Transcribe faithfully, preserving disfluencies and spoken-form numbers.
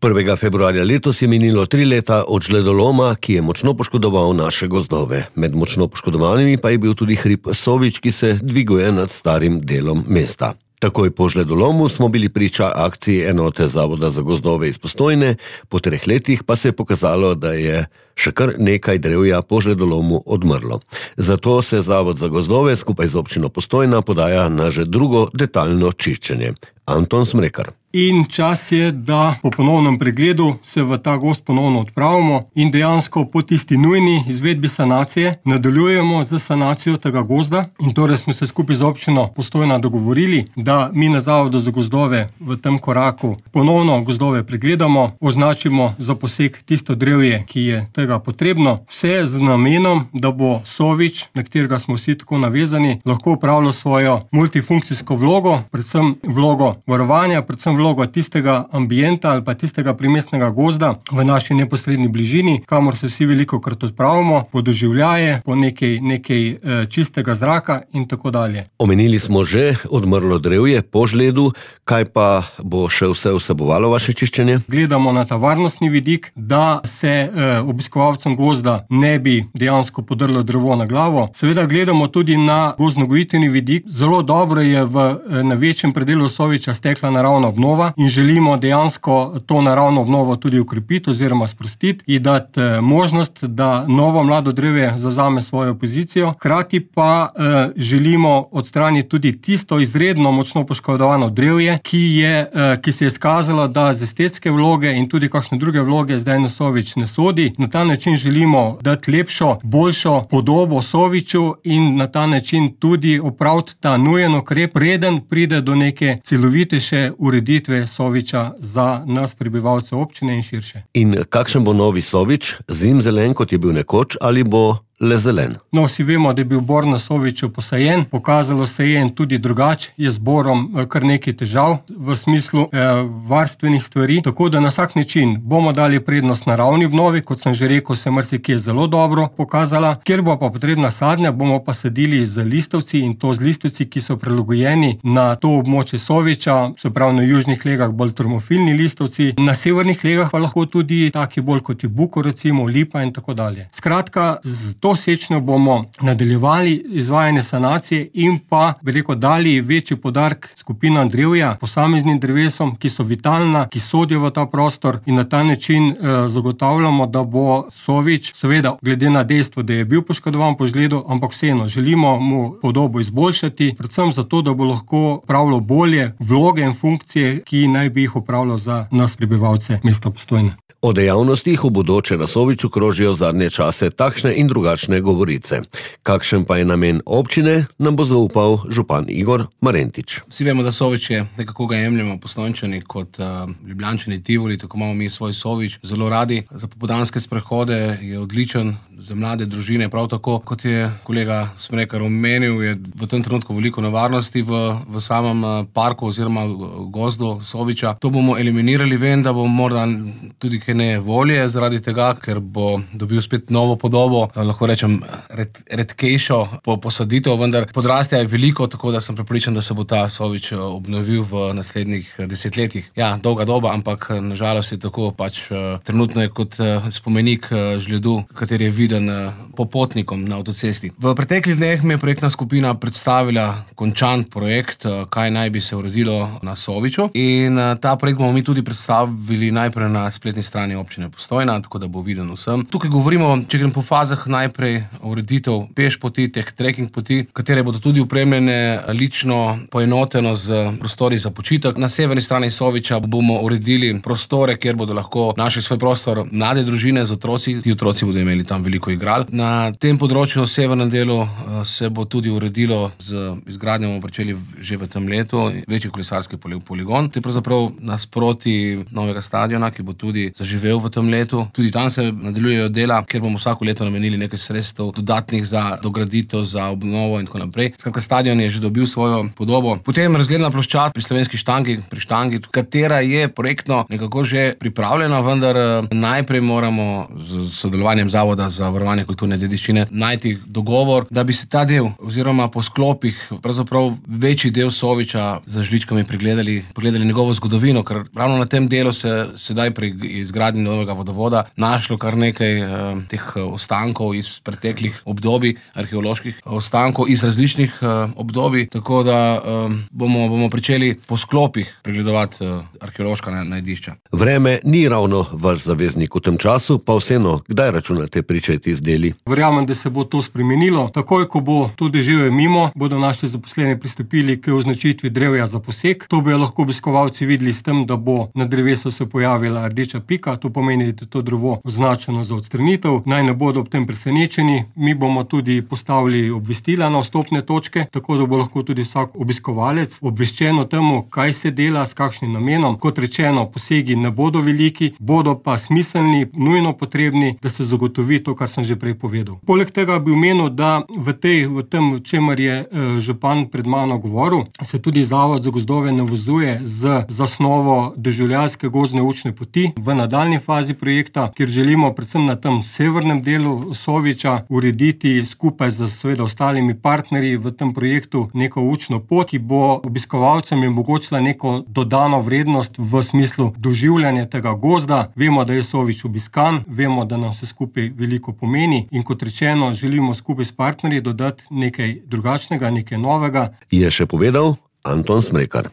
prvega februarja letos je minilo tri leta od žledoloma, ki je močno poškodoval naše gozdove. Med močno poškodovanimi pa je bil tudi hrib Sovič, ki se dviguje nad starim delom mesta. Takoj po žledolomu smo bili priča akciji enote Zavoda za gozdove iz Postojne, po treh letih pa se je pokazalo, da je še kar nekaj drevja po žledolomu odmrlo. Zato se Zavod za gozdove skupaj z občino Postojna podaja na že drugo detaljno čiščenje. Anton Smrekar. In čas je, da po ponovnem pregledu se v ta gozd ponovno odpravimo in dejansko po tisti nujni izvedbi sanacije nadaljujemo z sanacijo tega gozda. In torej smo se skupaj z občino Postojna dogovorili, da mi na Zavodu za gozdove v tem koraku ponovno gozdove pregledamo, označimo za poseg tisto drevje, ki je tega potrebno. Vse z namenom, da bo Sovič, na katerega smo vsi tako navezani, lahko opravljal svojo multifunkcijsko vlogo, predvsem vlogo varovanja, predvsem vlogo tistega ambienta ali pa tistega primestnega gozda v naši neposredni bližini, kamor se vsi veliko krat odpravimo, po doživljaje, po nekaj, nekaj e, čistega zraka in tako dalje. Omenili smo že odmrlo drevje po žledu, kaj pa bo še vse vsebovalo vaše čiščenje? Gledamo na ta varnostni vidik, da se e, obiskovalcem gozda ne bi dejansko podrlo drevo na glavo. Seveda gledamo tudi na gozdnogojitveni vidik. Zelo dobro je v, na večjem predelu Soviča stekla naravna obnova in želimo dejansko to naravno obnovo tudi ukrepiti oziroma sprostiti in dati možnost, da novo mlado drevje zavzame svojo pozicijo. Hkrati pa eh, želimo odstraniti tudi tisto izredno močno poškodovano drevje, ki, je, eh, ki se je skazalo, da z estetske vloge in tudi kakšne druge vloge zdaj na Sovič ne sodi. Na ta način želimo dati lepšo, boljšo podobo Soviču in na ta način tudi opraviti ta nujen ukrep, preden pride do neke celovitejše ureditve Soviča za nas prebivalce občine in širše. In kakšen bo novi Sovič? Zimzelen, kot je bil nekoč, ali bo le zelen? No, vsi vemo, da je bil bor na Soviču posajen, pokazalo se je in tudi drugače je z borom kar nekaj težav v smislu eh, varstvenih stvari, tako da na vsak način bomo dali prednost naravni obnovi, kot sem že rekel, se marsikje zelo dobro pokazala, kjer bo pa potrebna sadnja, bomo pa sadili z listovci in to z listovci, ki so prilagojeni na to območje Soviča, se pravi na južnih legah bolj termofilni listovci, na severnih legah pa lahko tudi taki bolj kot je buko, recimo lipa in tako dalje. Skratka, z to sečnjo bomo nadaljevali izvajanje sanacije in pa, bi rekel, dali večji poudarek skupinam drevja, posameznim drevesom, ki so vitalna, ki sodijo v ta prostor in na ta način eh, zagotavljamo, da bo Sovič, seveda glede na dejstvo, da je bil poškodovan po žledu, ampak vseeno želimo mu podobo izboljšati, predvsem zato, da bo lahko opravljal bolje vloge in funkcije, ki naj bi jih opravljal za nas prebivalce mesta Postojne. O dejavnostih v bodoče na Soviču krožijo zadnje čase takšne in drugačne govorice. Kakšen pa je namen občine, nam bo zaupal župan Igor Marentič. Vsi vemo, da Sovič je, nekako ga jemljemo Postojnčani kot uh, Ljubljančani Tivoli, tako imamo mi svoj Sovič zelo radi. Za popoldanske sprehode je odličen, za mlade družine prav tako. Kot je kolega Smrekar omenil, je v tem trenutku veliko nevarnosti v, v samem uh, parku oziroma gozdu Soviča. To bomo eliminirali, vem, da bomo morda tudi ne volje zaradi tega, ker bo dobil spet novo podobo, lahko rečem red, redkejšo po posaditev, vendar podrastja je veliko, tako da sem prepričan, da se bo ta Sovič obnovil v naslednjih desetletjih. Ja, dolga doba, ampak nažalost je tako, pač trenutno je kot spomenik žledu, kateri je viden popotnikom na avtocesti. V preteklih dneh mi je projektna skupina predstavila končan projekt, kaj naj bi se uredilo na Soviču, in ta projekt bomo mi tudi predstavili najprej na spletni strani občine Postojna, tako da bo viden vsem. Tukaj govorimo, če grem po fazah, najprej ureditev peš poti, teh trekking poti, katere bodo tudi opremljene lično poenoteno z prostori za počitek. Na severni strani Soviča bomo uredili prostore, kjer bodo lahko našli svoj prostor mlade družine z otroci. Ti otroci bodo imeli tam veliko igral. Na tem področju, severnem delu, se bo tudi uredilo z izgradnjo, bomo pričeli že v tem letu, večji kolesarski poligon. To je pravzaprav nasproti novega stadiona, ki bo tudi zaživel v tem letu. Tudi tam se nadaljujejo dela, kjer bomo vsako leto namenili nekaj sredstev dodatnih za dograditev, za obnovo in tako naprej. Skratka, stadion je že dobil svojo podobo. Potem razgledna ploščad pri Slovenski štangi, pri štangi, katera je projektno nekako že pripravljena, vendar najprej moramo z sodelovanjem Zavoda za varovanje kulturne dediščine, najti dogovor, da bi se ta del oziroma po sklopih pravzaprav večji del Soviča z žličkami pregledali, pogledali njegovo zgodovino, ker ravno na tem delu se sedaj pri izgradnji novega vodovoda našlo kar nekaj eh, teh ostankov iz preteklih obdobij, arheoloških ostankov iz različnih eh, obdobij, tako da eh, bomo, bomo pričeli po sklopih pregledovati eh, arheološka najdišča. Vreme ni ravno vaš zaveznik v tem času, pa vseeno, kdaj računate pričeti z deli? Verjamem, da se bo to spremenilo. Takoj, ko bo to deževje mimo, bodo naši zaposleni pristopili k označitvi drevja za posek. To bodo lahko obiskovalci videli s tem, da bo na drevesu se pojavila rdeča pika, to pomeni, da je to drevo označeno za odstranitev. Naj ne bodo ob tem presenečeni. Mi bomo tudi postavili obvestila na vstopne točke, tako da bo lahko tudi vsak obiskovalec obveščen o tem, kaj se dela, s kakšnim namenom. Kot rečeno, posegi ne bodo veliki, bodo pa smiselni, nujno potrebni, da se zagotovi to, kar sem že prej povedal. Poleg tega bi omenil, da v, tej, v tem, o čemer je eh, župan pred mano govoril, se tudi Zavod za gozdove navezuje z zasnovo doživljajske gozdne učne poti v nadaljni fazi projekta, kjer želimo predvsem na tem severnem delu Soviča urediti skupaj z seveda ostalimi partnerji v tem projektu neko učno pot, ki bo obiskovalcem omogočila neko dodano vrednost v smislu doživljanja tega gozda. Vemo, da je Sovič obiskan, vemo, da nam se skupaj veliko pomeni in kot rečeno, želimo skupaj s partnerji dodati nekaj drugačnega, nekaj novega. Je še povedal Anton Smrekar.